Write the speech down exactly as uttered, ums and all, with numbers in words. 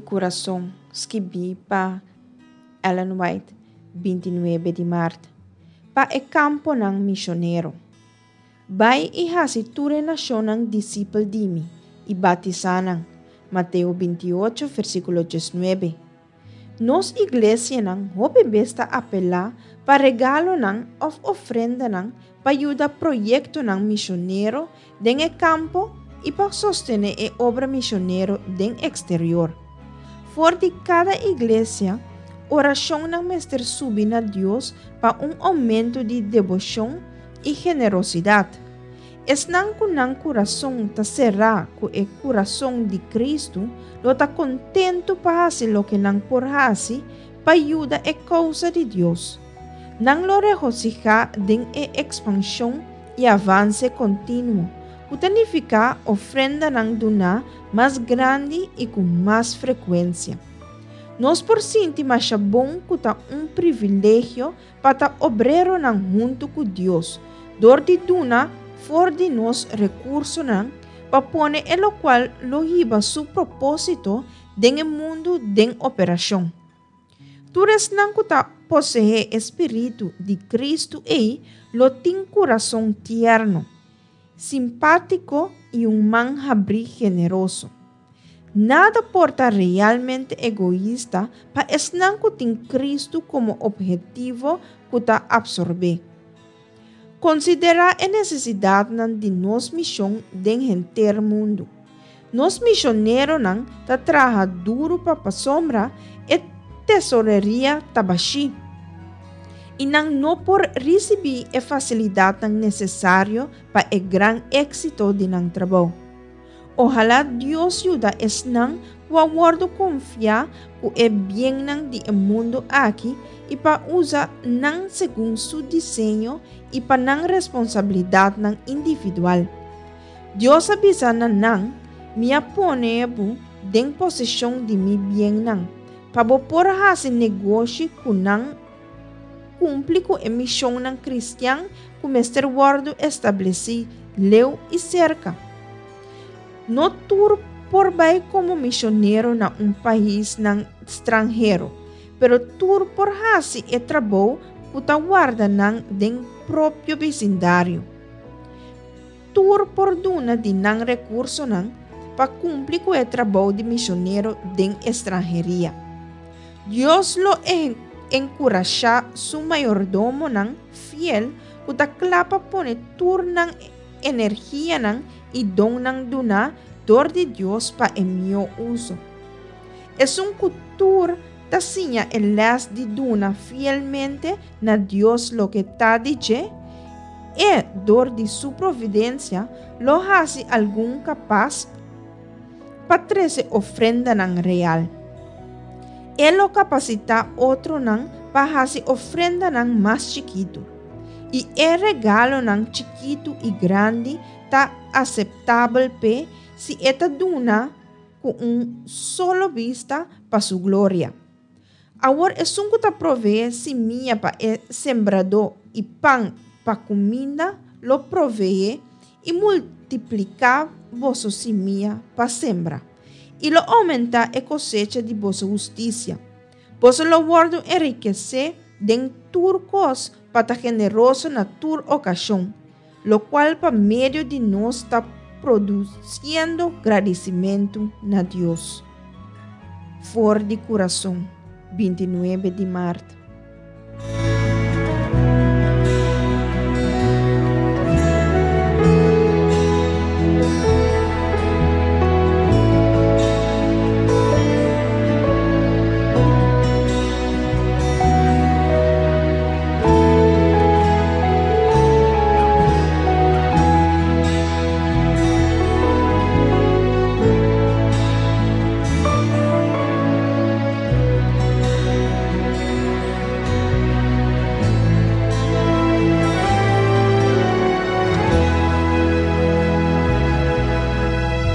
Kurason, skibí pa Ellen White, binti nuebe di mart. Pa e kamponan mishonero. Bai i hasi tur e nashonnan disipel di mi, i batisá nan. Mateo binti ocho, versíkulo diesnuebe. Nos iglesianan hopi bes ta apelá pa regalonan òf ofrendanan pa yuda proyektonan mishonero den e kampo i pa sostené e obra mishonero den eksterior. For di kada iglesia, orashonnan mester subi na Dios pa un oumento di deboshon i generosidat. Esnan ku nan kurason ta será ku e kurason di Kristu lo ta kontentu pa hasi loke nan por hasi pa yuda e kousa di Dios. Nan lo regosihá den e ekspanshon i avanse kontinuo, ku ta nifiká ofrendanan duná mas grandi i ku mas frekuensia. Nos por sinti masha bon ku ta un privilegio pa ta obreronan huntu ku Dios, dor di duna for di nos rekursonan pa pone e lokual lo hiba su propósito den e mundu den operashon. Tur esnan ku ta poseé e spiritu di Kristu ei lo tin kurason tierno, simpátiko i un man habrí generoso. Nada por ta realmente egoista pa esnan ku tin Kristu komo ophetivo ku ta apsorbé. Konsiderá e nesesidatnan di nos mishon den henter mundu. Nos mishoneronan ta traha duru pa pasobra e tesoreria ta bashí i nan no por risibí e fasilidatnan nesesario pa e gran éksito di nan trabou. Ohalá Dios yuda esnan ku a wòrdu konfiá ku e biennan di e mundu aki i pa usa nan segun su diseño i pa nan responsabilidatnan individual. Dios a bisa na nan, Mi a pone bo den poseshon di mi biennan, pa bo por hasi negoshi ku nan, kumpli ku e mishonnan kristian ku mester wòrdu establesí leu i serka. No tur por bai komo mishonero na un paisnan stranhero, pero tur por hasi e trabou ku ta warda nan den propio bisindario. Tur por duna di nan rekursonan pa kumpli ku e trabou di mishonero den estranheria. Dios lo enkurashá su mayordomonan fiel ku ta kla pa pone tur nan energianan i donnan duná dor di Dios pa e mihó uso. Esun ku tur ta siña e lès di duna fielmente na Dios loke ta di dje, e, dor di su providensia, lo hasi algun kapas pa trese ofrendanan real. E lo kapasitá otronan pa hasi ofrendanan mas chikitu. I e regalonan chikitu i grandi ta aseptabel p'e si e ta duna ku un solo bista pa su gloria. Awor esun ku ta proveé simia pa e sembradó i pan pa kuminda lo proveé i multipliká boso simia pa sembra, i lo oumentá e kosecha di boso hustisia. Boso lo wòrdu enrikesé den tur kos pa ta generoso na tur okashon, lokual pa medio di nos ta produsiendo gradisimentu na Dios. For di kurason, binti nuebe di mart.